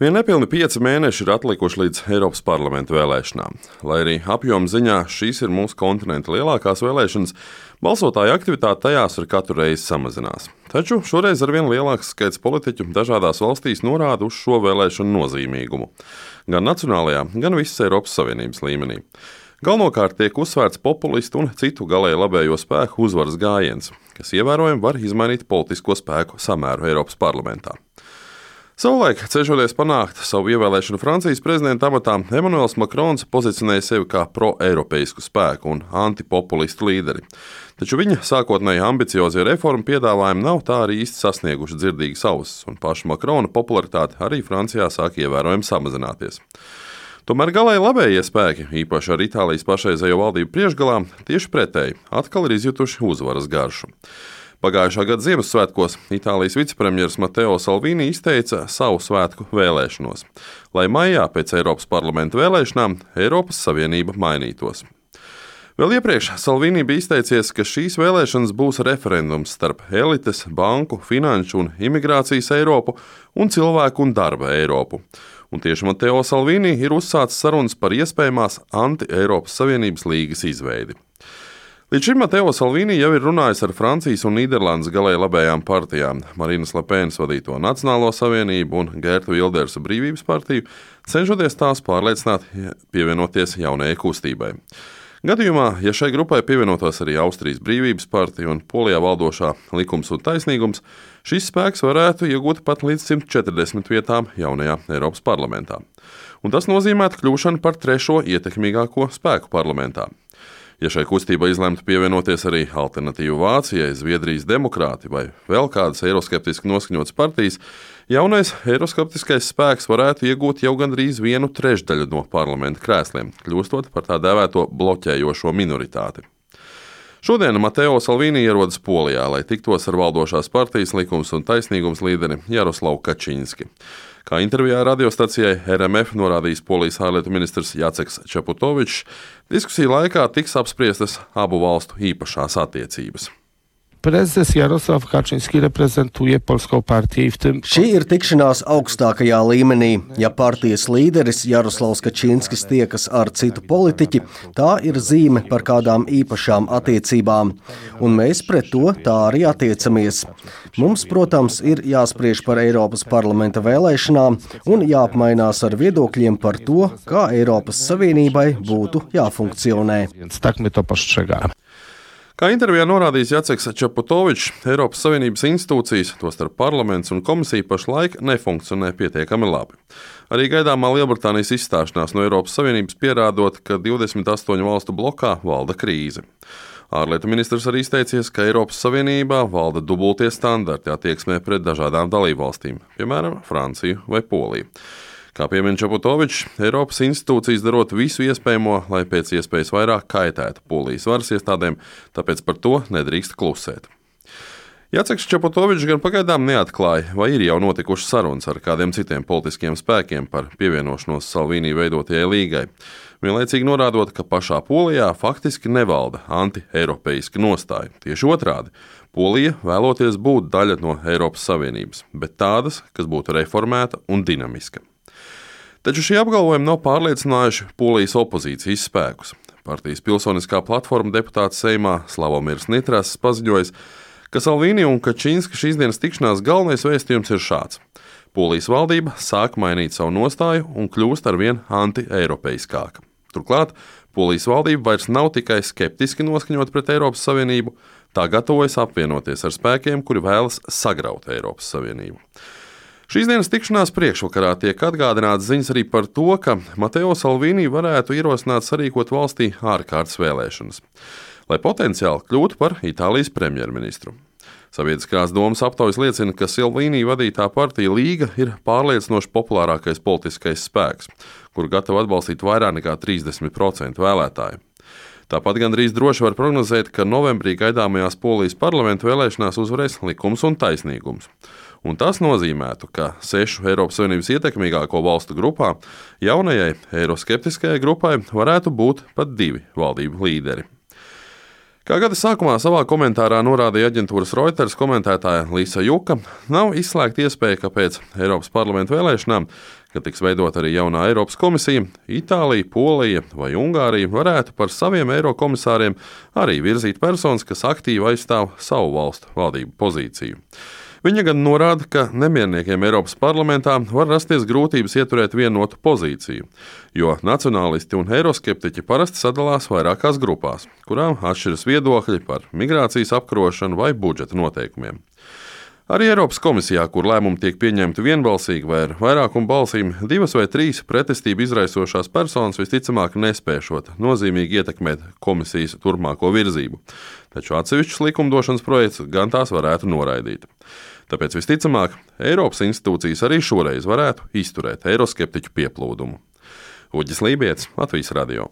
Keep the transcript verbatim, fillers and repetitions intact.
Vien nepilni pieci mēneši ir atlikuši līdz Eiropas parlamenta vēlēšanām. Lai arī apjoma ziņā šīs ir mūsu kontinenta lielākās vēlēšanas, balsotāju aktivitāte tajās ar katru reizi samazinās. Taču šoreiz arvien lielāks skaits politiķu dažādās valstīs norāda uz šo vēlēšanu nozīmīgumu. Gan nacionālajā, gan visas Eiropas Savienības līmenī. Galvenokārt tiek uzsvērts populistu un citu galēji labējo spēku uzvaras gājiens, kas ievērojami var izmainīt politisko spēku samēru Eiropas parlamentā. Savulaik, cenšoties panākt savu ievēlēšanu Francijas prezidenta amatā, Emmanuels Macrons pozicionēja sevi kā pro-eiropeisku spēku un antipopulistu līderi. Taču viņa sākotnēji ambiciozie reformu piedāvājumi nav tā arī īsti sasnieguši dzirdīgas ausis, un paša Macrona popularitāte arī Francijā sāk ievērojami samazināties. Tomēr galēji labējie spēki, īpaši ar Itālijas pašreizējo valdību priekšgalā, tieši pretēji, atkal ir izjutuši uzvaras garšu. Pagājušā gada Ziemassvētkos Itālijas vicepremjeras Matteo Salvini izteica savu svētku vēlēšanos, lai maijā pēc Eiropas parlamenta vēlēšanām Eiropas Savienība mainītos. Vēl iepriekš Salvini bija izteicies, ka šīs vēlēšanas būs referendums starp elites, banku, finanšu un imigrācijas Eiropu un cilvēku un darba Eiropu. Un tieši Matteo Salvini ir uzsācis sarunas par iespējamās anti-Eiropas Savienības līgas izveidi. Līdz šim Matteo Salvini jau ir runājis ar Francijas un Nīderlandes galēji labējām partijām, Marinas Le Penas vadīto Nacionālo savienību un Gerta Vildersa Brīvības partiju, cenšoties tās pārliecināt pievienoties jaunajai kustībai. Gadījumā, ja šai grupai pievienotos arī Austrijas Brīvības partija un Polijā valdošā Likums un taisnīgums, šis spēks varētu iegūt pat līdz simt četrdesmit vietām jaunajā Eiropas parlamentā. Un tas nozīmētu kļūšanu par trešo ietekmīgāko spēku parlamentā. Ja šai kustībai izlemtu pievienoties arī Alternatīva Vācijai, Zviedrijas demokrāti vai vēl kādas eiroskeptiski noskaņotas partijas, jaunais eiroskeptiskais spēks varētu iegūt jau gandrīz vienu trešdaļu no parlamenta krēsliem, kļūstot par tā dēvēto bloķējošo minoritāti. Šodien Matteo Salvini ierodas Polijā, lai tiktos ar valdošās partijas Likums un taisnīgums līderi Jaroslavu Kačinski. Kā intervijā radiostacijai R M F norādījis Polijas ārlietu ministrs Jaceks Čaputovičs, diskusiju laikā tiks apspriestas abu valstu īpašās attiecības. Prezes Jarosław Kaczyński reprezentuje polską partiję i w tym... Šī ir tikšanās augstākajā līmenī. Ja partijas līderis Jaroslavs Kačinskis tiekas ar citu politiķi, tā ir zīme par kādām īpašām attiecībām. Un mēs pret to tā arī attiecamies. Mums, protams, ir jāspriež par Eiropas parlamenta vēlēšanām un jāapmainās ar viedokļiem par to, kā Eiropas Savienībai būtu jāfunkcionē. Więc tak my to postrzegamy. Kā intervijā norādījis Jaceks Čaputovičs, Eiropas Savienības institūcijas, tostarp parlaments un komisija pašlaik nefunkcionē pietiekami labi. Arī gaidāmā Lielbritānijas izstāšanās no Eiropas Savienības pierādot, ka divdesmit astoņu valstu blokā valda krīze. Ārlietu ministrs arī izteicies, ka Eiropas Savienībā valda dubultie standarti attieksmē pret dažādām dalībvalstīm, piemēram, Franciju vai Poliju. Kā piemin Čaputovičs, Eiropas institūcijas darot visu iespējamo, lai pēc iespējas vairāk kaitētu Polijas varas iestādēm, tāpēc par to nedrīkst klusēt. Jaceks Čaputovičs gan pagaidām neatklāja, vai ir jau notikušas sarunas ar kādiem citiem politiskiem spēkiem par pievienošanos Salvini veidotajai līgai, vienlaicīgi norādot, ka pašā Polijā faktiski nevalda anti-eiropeiska nostāja. Tieši otrādi, Polija vēloties būt daļa no Eiropas Savienības, bet tādas, kas būtu reformēta un dinamiska. Taču šie apgalvojumi nav pārliecinājuši Polijas opozīcijas spēkus. Partijas pilsoniskā platforma deputāts Seimā Slavomirs Nitras paziņojis, ka Salvini un Kačinska šīs dienas tikšanās galvenais vēstījums ir šāds. Polijas valdība sāk mainīt savu nostāju un kļūst arvien anti-eiropeiskāka. Turklāt Polijas valdība vairs nav tikai skeptiski noskaņot pret Eiropas Savienību, tā gatavojas apvienoties ar spēkiem, kuri vēlas sagraut Eiropas Savienību. Šīs dienas tikšanās priekšvakarā tiek atgādināts ziņas arī par to, ka Matteo Salvini varētu ierosināt sarīkot valstī ārkārtas vēlēšanas, lai potenciāli kļūtu par Itālijas premjerministru. Sabiedriskās domas aptaujas liecina, ka Salvini vadītā partija Līga ir pārliecinoši populārākais politiskais spēks, kuru gatava atbalstīt vairāk nekā trīsdesmit procenti vēlētāju. Tāpat gandrīz droši var prognozēt, ka novembrī gaidāmajās Polijas parlamenta vēlēšanās uzvarēs Likums un taisnīgums. Un tas nozīmētu, ka sešu Eiropas Savienības ietekmīgāko valstu grupā jaunajai eiroskeptiskajai grupai varētu būt pat divi valdību līderi. Kā gada sākumā savā komentārā norādīja aģentūras Reuters komentētāja Līsa Juka, nav izslēgta iespēja, ka pēc Eiropas parlamenta vēlēšanām Kad tiks veidot arī jaunā Eiropas komisija, Itālija, Polija vai Ungārija varētu par saviem eirokomisāriem arī virzīt personas, kas aktīvi aizstāv savu valstu valdību pozīciju. Viņa gan norāda, ka nemierniekiem Eiropas parlamentā var rasties grūtības ieturēt vienotu pozīciju, jo nacionālisti un eiroskeptiķi parasti sadalās vairākās grupās, kurām atšķiras viedokļi par migrācijas apkarošanu vai budžeta noteikumiem. Arī Eiropas komisijā, kur lēmumi tiek pieņemti vienbalsīgi vai ar vairākumu balsīm, divas vai trīs pretestību izraisošās personas visticamāk nespēšot nozīmīgi ietekmēt komisijas turpmāko virzību, taču atsevišķus likumdošanas projektus gan tās varētu noraidīt. Tāpēc visticamāk, Eiropas institūcijas arī šoreiz varētu izturēt eiroskeptiķu pieplūdumu. Uģis Lībietis, Latvijas radio.